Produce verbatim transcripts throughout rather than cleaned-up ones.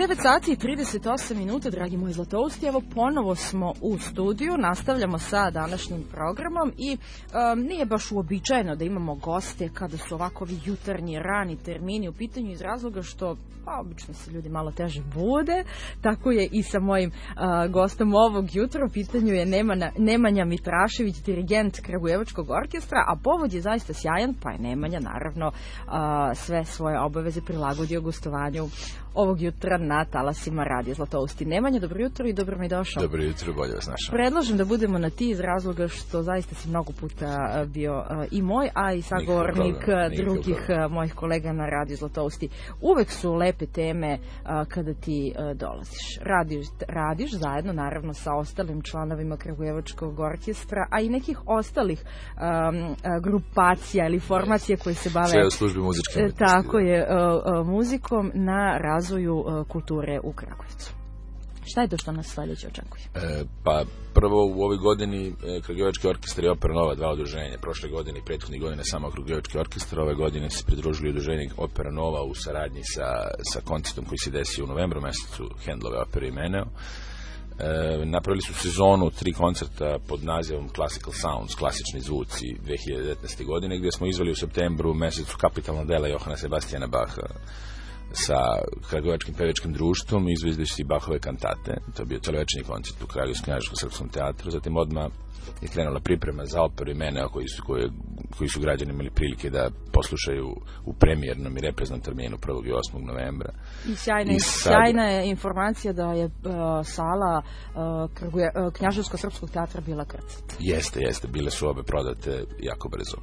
devet sati i trideset osam minuta, dragi moji zlatousti, evo ponovo smo u studiju, nastavljamo sa današnjim programom i um, nije baš uobičajeno da imamo goste kada su ovakovi jutarnji, rani termini u pitanju iz razloga što pa, obično se ljudi malo teže bude, tako je i sa mojim uh, gostom ovog jutra, u pitanju je Nemanja, Nemanja Mitrašević, dirigent Kragujevačkog orkestra, a povod je zaista sjajan, pa je Nemanja naravno uh, sve svoje obaveze prilagodio gostovanju ovog jutra na talasima Radija Zlatousti. Nemanja, dobro jutro i dobro mi došao. Dobro jutro, bolje vas našao. Predlažem da budemo na ti iz razloga što zaista si mnogo puta bio uh, i moj, a i sagovornik drugih uh, mojih kolega na Radiju Zlatousti. Uvek su lepe teme uh, kada ti uh, dolaziš. Radiš, radiš zajedno, naravno, sa ostalim članovima Kragujevačkog orkestra, a i nekih ostalih um, uh, grupacija ili formacija koje se bave... Sve u službi muzičke umetnosti. Tako je, uh, uh, muzikom na razvoju uh, kulture u Kragujevcu. Šta je to što nas sljedeće očekuje? E, pa prvo u ovoj godini e, Kragujevački orkestar je Opera Nova, dva udruženja. Prošle godine i prethodnih godina samo Kragujevački orkestar. Ove godine se pridružili udruženje Opera Nova u saradnji sa, sa koncertom koji se desio u novembru mesecu Handlove opere i Meneo. E, napravili su sezonu tri koncerta pod nazivom Classical Sounds, klasični zvuci dve hiljade devetnaeste. godine, gdje smo izveli u septembru mesecu kapitalna dela Johana Sebastiana Bacha sa Kragujevačkim pevačkim društvom, izvedivši Bachove kantate. To je bio celovečernji koncert u Kragujevačkom knjaževskom srpskom teatru. Zatim odmah je krenula priprema za operu i Meneo, koji su, koji, koji su građani imali prilike da poslušaju u premijernom i repreznom terminu prvog i osmog novembra. I sjajna, I sad... sjajna je informacija da je uh, sala uh, Kraguje, uh, knjaževskog srpskog teatra bila krcata. Jeste, jeste. Bile su obe prodate jako brzo.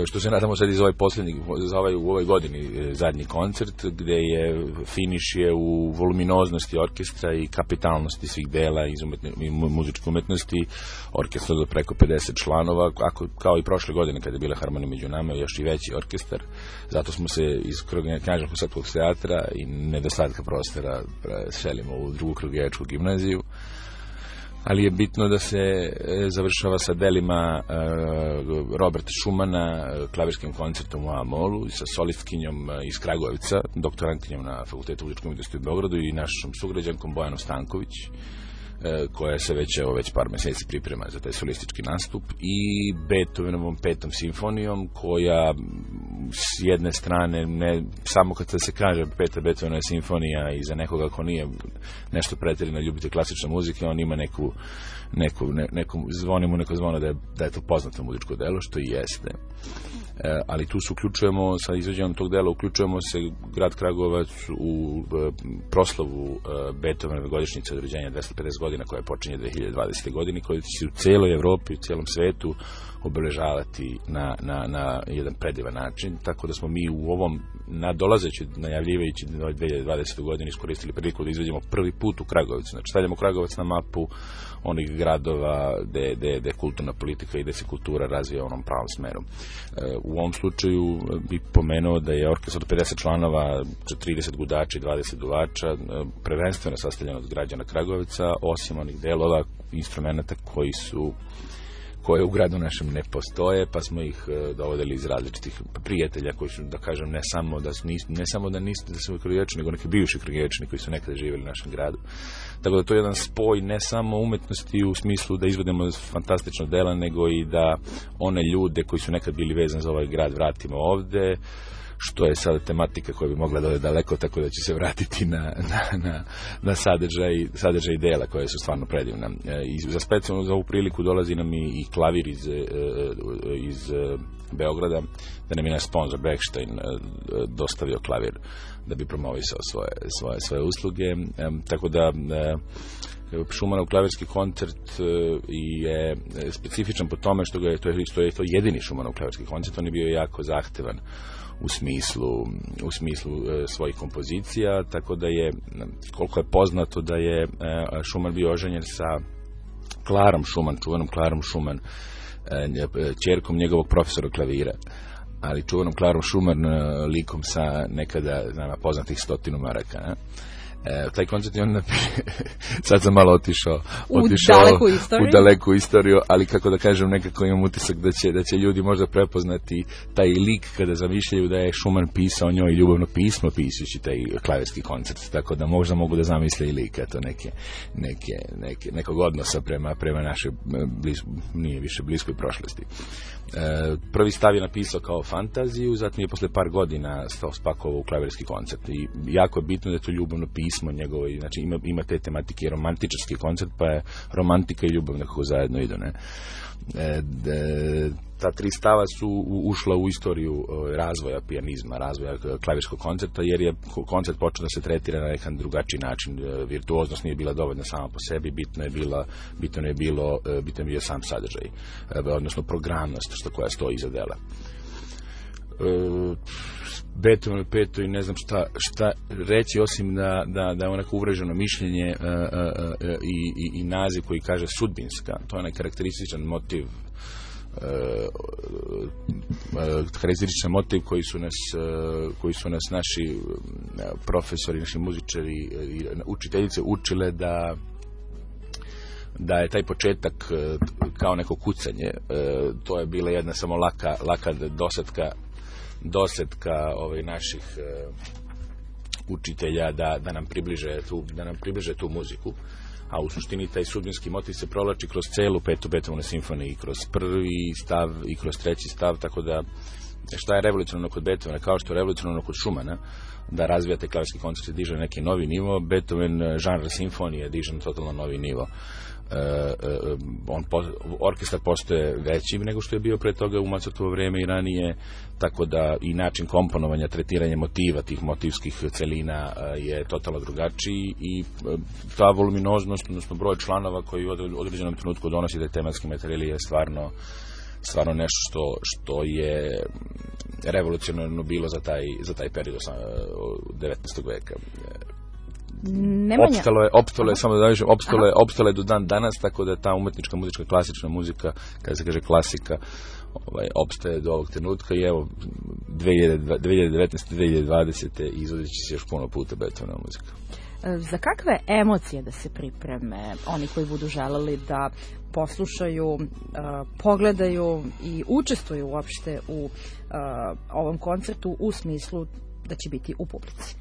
Što se nadamo sad iz ovaj posljednji, za ovaj, u ovoj godini zadnji koncert, gde je finiš je u voluminoznosti orkestra i kapitalnosti svih dela iz umetne, muzičke umetnosti. Orkestar do preko pedeset članova, ako, kao i prošle godine kada je bila Harmonija među nama, još i veći orkestar. Zato smo se iz knjaževskog srpskog teatra i nedostatka prostora selimo u drugu Kragujevačku gimnaziju. Ali je bitno da se završava sa delima uh, Roberta Schumana, klavirskim koncertom u A-molu i sa solistkinjom iz Kragujevca, doktorantkinjom na Fakultetu muzičke umetnosti u Beogradu i našom sugrađankom Bojanom Stanković, uh, koja se već, evo, već par meseci priprema za taj solistički nastup, i Beethovenovom petom simfonijom, koja s jedne strane, ne, samo kad se kaže peta Beethovenova simfonija, i za nekoga ko nije nešto pretjerano ljubitelj klasične muzike, on ima neku, neku, ne, neku zvoni mu neko zvono da je, da je to poznato muzičko delo, što i jeste. E, ali tu se uključujemo, sa izvođenjem tog dela, uključujemo se grad Kragujevac u e, proslavu e, Beethovenove godišnjice od rođenja dvesta pedeset godina, koja počinje dve hiljade dvadesete. godine, koja će se u cijeloj Evropi, u cijelom svetu obeležavati na, na, na jedan predivan način, tako da smo mi u ovom nadolazeći, najavljivajući dve hiljade dvadesete. godine iskoristili priliku da izvedemo prvi put u Kragujevcu. Znači, stavljamo Kragujevac na mapu onih gradova gde, gde, gde kulturna politika i gde se kultura razvija u onom pravom smeru. E, u ovom slučaju bih pomenuo da je orkestar od pedeset članova, trideset gudača i dvadeset duvača, prvenstveno sastavljen od građana Kragujevca, osim onih delova, instrumenta koji su koje u gradu našem ne postoje, pa smo ih uh, dovodili iz različitih prijatelja koji su, da kažem, ne samo da su, ne samo da nisu da su Kragujevčani, nego neki bivši Kragujevčani koji su nekada živjeli u našem gradu. Tako da to je jedan spoj ne samo umetnosti u smislu da izvedemo fantastično dela, nego i da one ljude koji su nekad bili vezani za ovaj grad vratimo ovde, što je sada tematika koja bi mogla da ode daleko, tako da će se vratiti na, na, na, na sadržaj, sadržaj dela koje su stvarno predivna. I za specijalno za ovu priliku dolazi nam i, i klavir iz, iz Beograda, da nam je naš sponsor Bechstein dostavio klavir da bi promovisao svoje, svoje, svoje usluge. Tako da Schumanov klavirski koncert je specifičan po tome što, ga je, to je, što je to jedini Schumannov klavirski koncert. On je bio jako zahtevan u smislu, u smislu e, svojih kompozicija, tako da je, koliko je poznato da je e, Schumann bio oženjen sa Klarom Schumann, čuvenom Klarom Schumann, e, ćerkom njegovog profesora klavira, ali čuvenom Klarom Schumann e, likom sa nekada nama poznatih stotinu maraka. Ne? E, taj koncert je on sad sam malo otišao, u, otišao daleku u daleku istoriju, ali kako da kažem, nekako imam utisak da će, da će ljudi možda prepoznati taj lik kada zamišljaju da je Schumann pisao njoj ljubavno pismo pisujući taj klavirski koncert, tako da možda mogu da zamisle i lik, eto, neke, neke, neke, nekog odnosa prema, prema našoj bliz, nije više bliskoj prošlosti. E, prvi stav je napisao kao fantaziju, zatim je posle par godina stao spakovao u klavirski koncert i jako je bitno da je to ljubavno pismo njegovo, znači ima, ima te tematike, romantičarski koncert, pa je romantika i ljubav nekako zajedno idu, ne? E, de, ta tri stava su ušla u istoriju razvoja pijanizma, razvoja klavirskog koncerta, jer je koncert počeo da se tretira na nekan drugačiji način. Virtuoznost nije bila dovoljna sama po sebi, bitno je bila, bitno je bilo, bitno je bio sam sadržaj, odnosno programnost što koja stoji iza dela. Beethoven peto i ne znam šta, šta reći osim da, da, da je onako uvreženo mišljenje uh, uh, uh, i, i, i naziv koji kaže sudbinska. To je onaj karakterističan motiv uh, uh, karakterističan motiv koji su nas, uh, koji su nas naši uh, profesori, naši muzičari i uh, učiteljice učile da da je taj početak uh, kao neko kucanje. Uh, to je bila jedna samo laka, laka dosadka dosetka ovaj naših uh, učitelja da, da nam približe tu da nam približe tu muziku, a u suštini taj sudbinski motiv se provlači kroz celu petu Beethovenove simfonije, i kroz prvi stav i kroz treći stav, tako da šta je revolucionarno kod Beethovena, kao što je revolucionarno kod Schumana, da razvijate klavirski koncert i diže na neki novi nivo, Beethoven žanr simfonije diže na totalno novi nivo. Uh, uh, on po, orkestar postoje veći nego što je bio pre toga u Mozartovo vreme i ranije, tako da i način komponovanja, tretiranja motiva, tih motivskih celina uh, je totalno drugačiji i uh, ta voluminoznost, odnosno broj članova koji u određenom trenutku donosi taj tematski materijal je stvarno stvarno nešto što, što je revolucionarno bilo za taj, za taj period devetnaestog veka. Nemanja. Opstalo je, opstalo je, samo da kažem, opstalo je, opstalo je do dan danas, tako da ta umetnička muzička, klasična muzika, kada se kaže klasika, ovaj, opstaje do ovog trenutka i evo, dve hiljade devetnaeste. dve hiljade dvadesete izvodit će se još puno puta Beethovenova muzika. Za kakve emocije da se pripreme oni koji budu želeli da poslušaju, uh, pogledaju i učestvuju uopšte u uh, ovom koncertu u smislu da će biti u publici?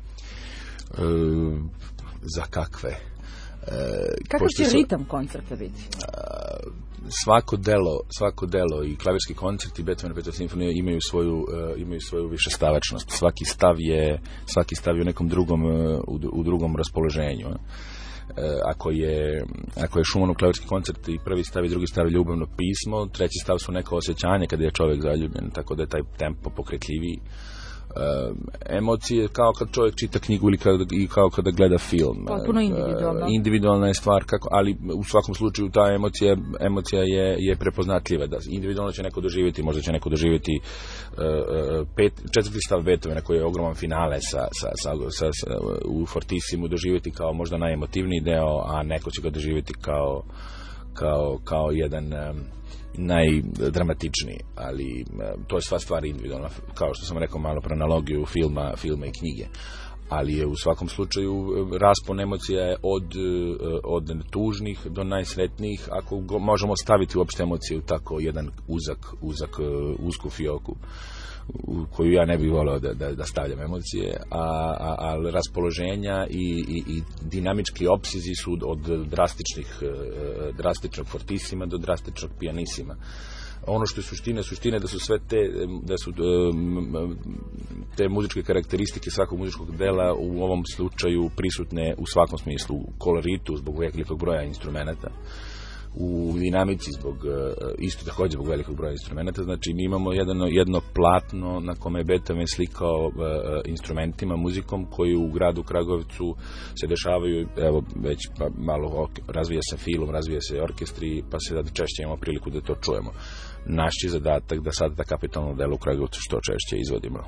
E, za kakve? E, Kakav će sam, ritam koncerta biti? E, svako delo, svako delo i klavirski koncert i Beethoven petoj simfonije imaju svoju, uh, imaju svoju višestavačnost. Svaki stav je, svaki stav je u nekom drugom, uh, u, u drugom raspoloženju. Uh, ako je, ako je Schumannov klavirski koncert i prvi stav i drugi stav je ljubavno pismo, treći stav su neko osjećanje kada je čovjek zaljubljen, tako da je taj tempo pokretljiviji. Uh, emocije kao kad čovjek čita knjigu ili kada, i kao kada gleda film. Potpuno individualno. Uh, individualna je stvar, kako, ali u svakom slučaju ta emocija, emocija je, je prepoznatljiva. Da, individualno će neko doživjeti, možda će neko doživjeti uh, pet, četvrti stav Beethovena koji je ogroman finale sa, sa, sa, sa, sa, u Fortissimo doživjeti kao možda najemotivniji deo, a neko će ga doživjeti kao, kao, kao jedan um, najdramatičniji, ali to je sva stvar individualna, kao što sam rekao malo pre analogiju filma, filma i knjige, ali je u svakom slučaju raspon emocija je od, od tužnih do najsretnijih, ako go, možemo staviti uopšte emocije u tako jedan uzak, uzak, usku fioku u koju ja ne bih voleo da, da, da stavljam emocije, a, a, a raspoloženja i, i, i dinamički opsizi su od drastičnih, drastičnog fortisima do drastičnog pijanisima. Ono što je suština, suština je da su sve te, da su te muzičke karakteristike svakog muzičkog dela u ovom slučaju prisutne u svakom smislu, u koloritu zbog velikog broja instrumenata, u dinamici zbog isto također zbog velikog broja instrumenta. Znači mi imamo jedno, jedno platno na kome je Beethoven slikao uh, instrumentima, muzikom koji u gradu Kragovcu se dešavaju, evo već pa, malo razvija se film, razvija se orkestri, pa se sad češće imamo priliku da to čujemo. Naš je zadatak da sad ta kapitalno delo u Kragovcu što češće izvodimo.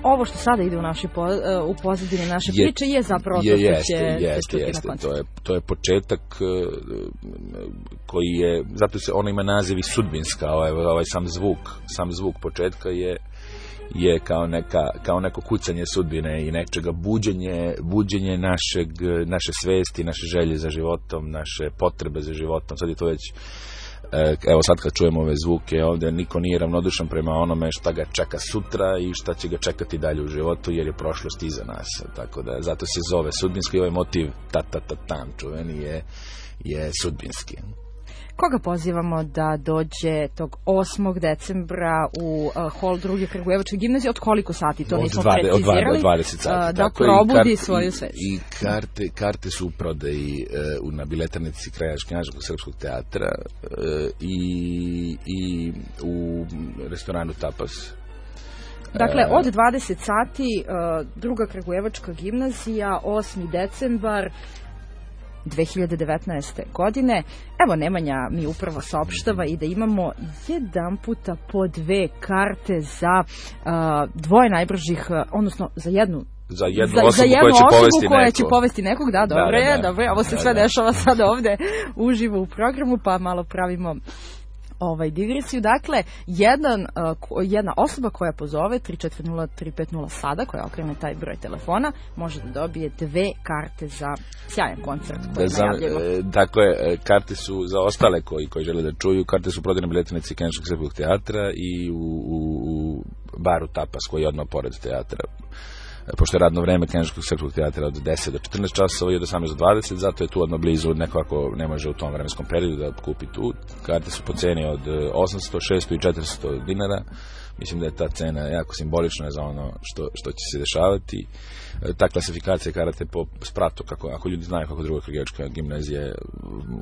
Ovo što sada ide u, naši po, u pozadini naše je, priče je zapravo to što će se čuti na koncertu. To je, to je početak koji je, zato se ona ima naziv i sudbinska, ovaj, ovaj sam zvuk, sam zvuk početka je, je kao, neka, kao neko kucanje sudbine i nečega buđenje, buđenje našeg, naše svesti, naše želje za životom, naše potrebe za životom. Sad je to već, evo sad kad čujemo ove zvuke ovdje, niko nije ravnodušan prema onome šta ga čeka sutra i šta će ga čekati dalje u životu, jer je prošlost iza nas. Tako da zato se zove sudbinski, ovaj motiv ta ta ta tam čuveni je, je sudbinski. Koga pozivamo da dođe tog osmog decembra u uh, hol druge Kragujevačke gimnazije? Od koliko sati? To nismo dvade, precizirali. Od dvadeset sati. Uh, da probudi i svoju svest. I karte, karte su u prodaji uh, na biletarnici Kragujevačkog srpskog teatra uh, i, i u restoranu Tapas. Dakle, od dvadeset sati uh, druga Kragujevačka gimnazija, osmi decembar dve hiljade devetnaeste. godine. Evo, Nemanja mi upravo saopštava i da imamo jedan puta po dve karte za uh, dvoje najbržih, uh, odnosno za jednu za jednu za, osobu, za jednu koja, će osobu povesti koja neko. će povesti nekog. Da, dobro je, da, da. dobro je. Ovo se da, sve da. dešava sad ovde uživo u programu, pa malo pravimo ovaj digresiju. Dakle, jedan, uh, jedna osoba koja pozove tri četiri nula tri pet nula sada, koja okrene taj broj telefona, može da dobije dve karte za sjajan koncert koji da, najavljamo. E, dakle, karte su za ostale koji, koji žele da čuju, karte su prodane biletarnici Kragujevačkog srpskog teatra i u, u, u baru Tapas koji je odmah pored teatra. Pošto je radno vreme Kragujevačkog srpskog teatra od deset do četrnaest časova i od osamnaest do dvadeset, zato je tu odmah blizu, neko ako ne može u tom vremenskom periodu da kupi tu. Karte su po ceni od osamsto, šesto i četiristo dinara. Mislim da je ta cena jako simbolična za ono što, što će se dešavati. Ta klasifikacija karate po spratu, kako, ako ljudi znaju kako druga Kragujevačka gimnazija,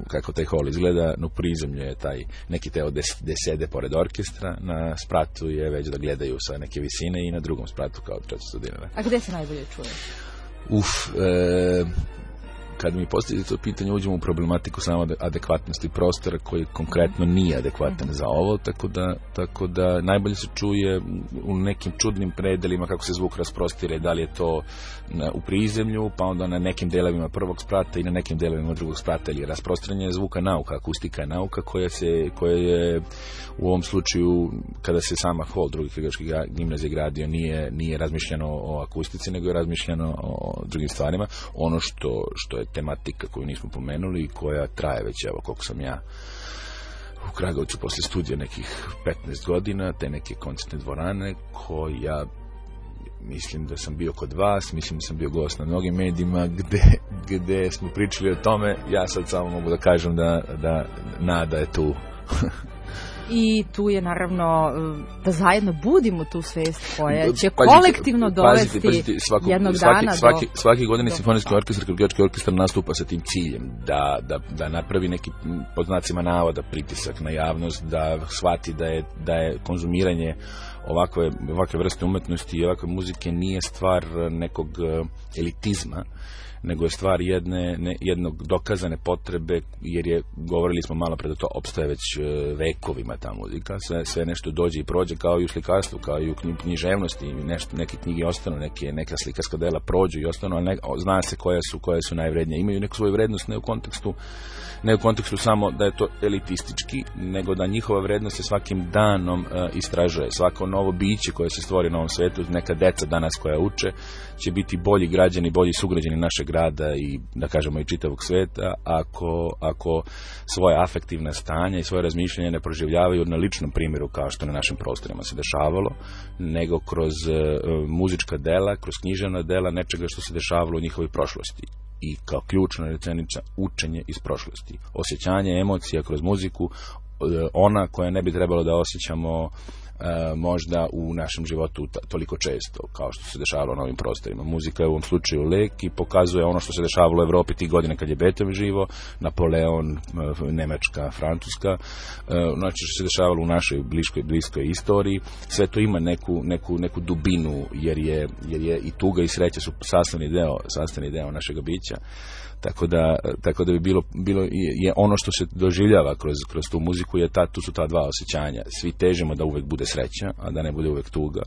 kako taj hol izgleda, no prizemlju je taj neki teo gde sede pored orkestra, na spratu je već da gledaju sa neke visine i na drugom spratu kao četiristo dinara. A gde se najbolje čuje? Uf, e, kad mi postavite to pitanje, uđemo u problematiku samo adekvatnosti prostora koji konkretno nije adekvatan za ovo, tako da, tako da najbolje se čuje u nekim čudnim predelima kako se zvuk rasprostire, da li je to na, u prizemlju, pa onda na nekim delovima prvog sprata i na nekim delovima drugog sprata, ili rasprostranjanje zvuka nauka, akustika je nauka koja, se, koja je u ovom slučaju, kada se sama hol druge Kragujevačke gimnazije gradio, nije, nije razmišljeno o akustici, nego je razmišljeno o drugim stvarima. Ono što, što je tematika koju nismo pomenuli i koja traje već, evo koliko sam ja u Kragujevcu posle studija nekih petnaest godina, te neke koncertne dvorane koja, mislim da sam bio kod vas, mislim da sam bio gost na mnogim medijima gde, gde smo pričali o tome. Ja sad samo mogu da kažem da, da nada je tu. I tu je naravno da zajedno budimo tu svest koja će pazite, kolektivno dovesti pazite, pazite, svako, jednog svaki, dana svaki, do... svaki godini do... simfonijski orkestar, Kragujevački orkestar nastupa sa tim ciljem da, da, da napravi neki, pod znacima navoda, pritisak na javnost, da shvati da je, da je konzumiranje ovakve, ovakve vrste umetnosti i ovakve muzike nije stvar nekog elitizma, nego je stvar jedne, ne, jednog dokazane potrebe, jer je, govorili smo malo pre da to opstaje već vekovima ta muzika, sve, sve nešto dođe i prođe, kao i u slikarstvu, kao i u književnosti, nešto, neke knjige ostanu, neke, neka slikarska dela prođu i ostanu, ali ne, zna se koje su, koje su najvrednije. Imaju neku svoju vrednost, ne u kontekstu ne u kontekstu samo da je to elitistički, nego da njihova vrednost se svakim danom uh, istražuje. Svako novo biće koje se stvori na ovom svetu, neka deca danas koja uče, će biti bolji građani, bolji sugrađani našeg grada i, da kažemo, i čitavog sveta, ako, ako svoje afektivna stanja i svoje razmišljanje ne proživljavaju na ličnom primjeru, kao što na našim prostorima se dešavalo, nego kroz uh, muzička dela, kroz književna dela, nečega što se dešavalo u njihovoj prošlosti. I kao ključna rečenica, učenje iz prošlosti. Osjećanje emocija kroz muziku, ona koja ne bi trebalo da osjećamo e, možda u našem životu toliko često, kao što se dešavalo na ovim prostorima. Muzika je u ovom slučaju lek i pokazuje ono što se dešavalo u Evropi tih godina kad je Beethoven živo, Napoleon, Nemačka, Francuska, e, znači što se dešavalo u našoj bliskoj, bliskoj istoriji. Sve to ima neku, neku, neku dubinu, jer je, jer je i tuga i sreća su sastavni deo, sastavni deo našega bića. Tako da, tako da bi bilo, bilo je ono što se doživljava kroz, kroz tu muziku, je ta, tu su ta dva osjećanja. Svi težimo da uvek bude sreća, a da ne bude uvek tuga.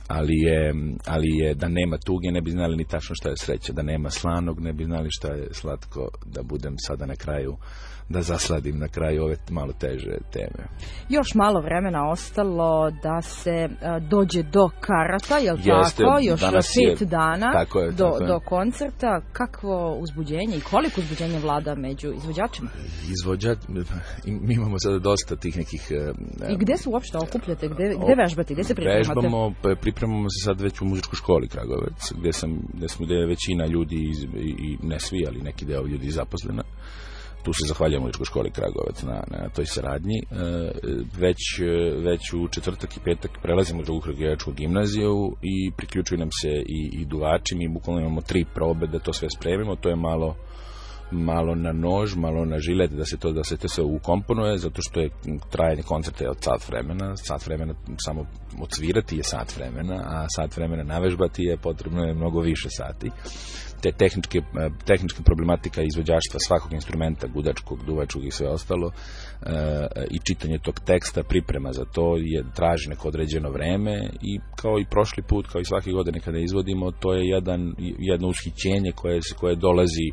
ali je, ali je da nema tuge ne bi znali ni tačno šta je sreća, da nema slanog ne bi znali šta je slatko, da budem sada na kraju, da zasladim na kraju ove malo teže teme. Još malo vremena ostalo da se uh, dođe do karata, jel Jeste, tako? Još pet je, dana tako je, do, tako do koncerta. Kakvo uzbuđenje i koliko uzbuđenje vlada među izvođačima? Izvođač, mi imamo sada dosta tih nekih... Uh, I gde se uopšte okupljate? Gde, gde vežbate? Gde se pripremate? Vežbamo, pripremamo se sad već u muzičkoj školi Kragujevac, gde, sam, gde smo gde je većina ljudi, iz, i, i ne svi, ali neki deo ljudi zaposlena. Tu se zahvaljujemo muzičkoj školi Kragujevac na, na toj saradnji. E, već, već u četvrtak i petak prelazimo u drugu kragujevačku gimnaziju i priključuju nam se i, i duvači. Mi bukvalno imamo tri probe da to sve spremimo. To je malo malo na nož, malo na žilet da se to da se to sve ukomponuje, zato što je trajanje koncerta je od sat vremena, sat vremena samo odsvirati je sat vremena, a sat vremena navežbati je potrebno je mnogo više sati. Te tehničke, tehnička problematika izvođaštva svakog instrumenta, gudačkog, duvačkog i sve ostalo, e, i čitanje tog teksta, priprema za to je traži neko određeno vreme i kao i prošli put, kao i svake godine kada izvodimo, to je jedan, jedno ushićenje koje, koje dolazi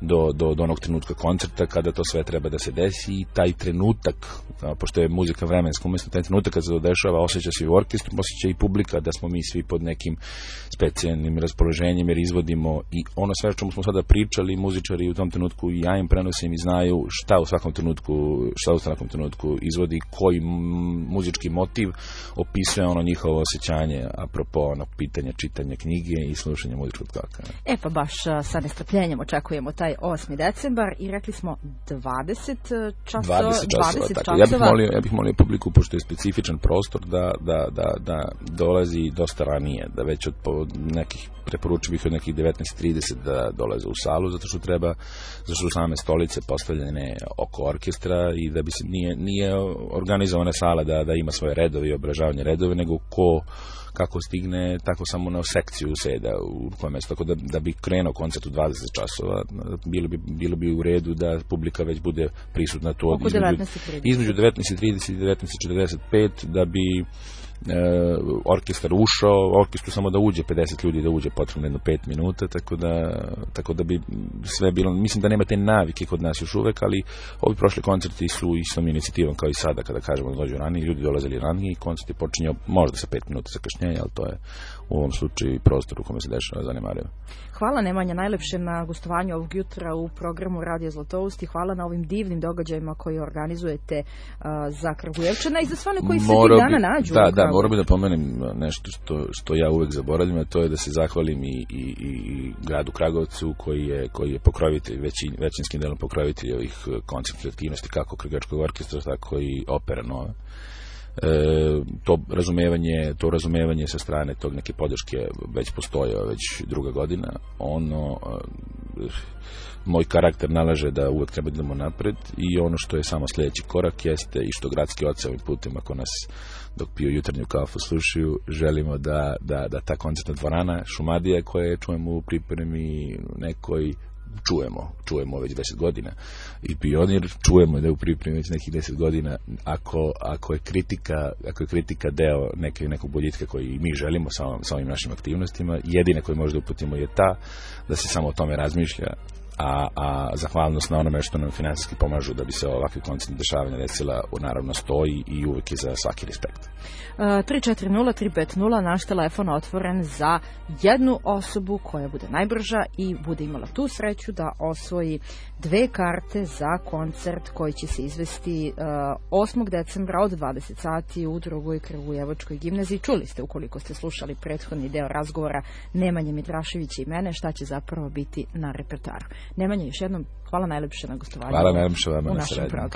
do, do, do onog trenutka koncerta kada to sve treba da se desi i taj trenutak, pošto je muzika vremenska, umjesto taj trenutak kad se to dešava, osjeća se i u orkestru, osjeća i publika da smo mi svi pod nekim specijalnim raspoloženjem jer izvodimo i ono sve čemu smo sada pričali, muzičari u tom trenutku i ja im prenosim i znaju šta u svakom trenutku, šta u svakom trenutku izvodi, koji muzički motiv opisuje ono njihovo osjećanje apropo ono pitanja, čitanja knjige i slušanja muzičkog toka. E pa baš sa nestrpljenjem očekujemo taj osmi decembar i rekli smo dvadeset časova. dvadeset časova, tako. Ja bih molio, ja bih molio publiku, pošto je specifičan prostor, da, da, da, da dolazi dosta ranije, da već od, od nekih, preporučio bih od nekih devetnaest trideset da dolaze u salu, zato što treba, zato što su same stolice postavljene oko orkestra i da bi se, nije, nije organizovana sala da, da ima svoje redove i obražavanje redove, nego ko kako stigne, tako samo na sekciju seda u koje mesto, tako da, da bi krenuo koncert u dvadeset časova, bilo bi, bilo bi u redu da publika već bude prisutna tu od između devetnaest trideset i devetnaest četrdeset pet, da bi E, orkestar ušao, orkestru samo da uđe pedeset ljudi, da uđe potrebno jedno pet minuta, tako da, tako da bi sve bilo, mislim da nema te navike kod nas još uvek, ali ovi prošli koncerti su istom inicijativom kao i sada, kada kažemo da dođu ranije, ljudi dolazili ranije i koncert je počinjao možda sa pet minuta zakašnjenja, ali to je u ovom slučaju i prostor u kome se dešava zanemarivo. Hvala Nemanja najlepše na gostovanju ovog jutra u programu Radio Zlatoust i hvala na ovim divnim događajima koji organizujete uh, za Kragujevčana i za sve one koji se tih dana nađu. Da, da, moram bi da pomenem nešto što, što ja uvek zaboravim, a to je da se zahvalim i, i, i gradu Kragovcu koji je, koji je pokrovitelj, većin, većinskim delom pokrovitelj ovih koncertnih aktivnosti, kako Kragujevačkog orkestra, tako i opera nove. E, to razumevanje to razumevanje sa strane tog neke podrške već postoji već druga godina. Ono e, moj karakter nalaže da uvek treba da idemo napred i ono što je samo sljedeći korak jeste i što gradski oci ovim putem ako nas dok piju jutarnju kafu slušaju, želimo da, da, da ta koncertna dvorana Šumadija koje čujemo u pripremi nekoj čujemo, čujemo već deset godina i Pionir čujemo da je u pripremi već nekih deset godina, ako, ako je kritika ako je kritika deo neke, nekog boljitka koji mi želimo sa, sa ovim našim aktivnostima, jedina koju možda uputimo je ta da se samo o tome razmišlja, a, a zahvalnost na onome što nam finansijski pomažu da bi se ovakve koncertne dešavanja desila naravno stoji i uvek je za svaki respekt. Uh, tri četiri nula tri pet nula, naš telefon otvoren za jednu osobu koja bude najbrža i bude imala tu sreću da osvoji dve karte za koncert koji će se izvesti uh, osmog decembra od dvadeset sati u drugoj Kragujevačkoj gimnaziji. Čuli ste, ukoliko ste slušali prethodni deo razgovora Nemanje Mitraševića i mene, šta će zapravo biti na repertoaru. Nemanje, još jednom hvala najlepše na gostovanju hvala najlepše vama u na našem programu.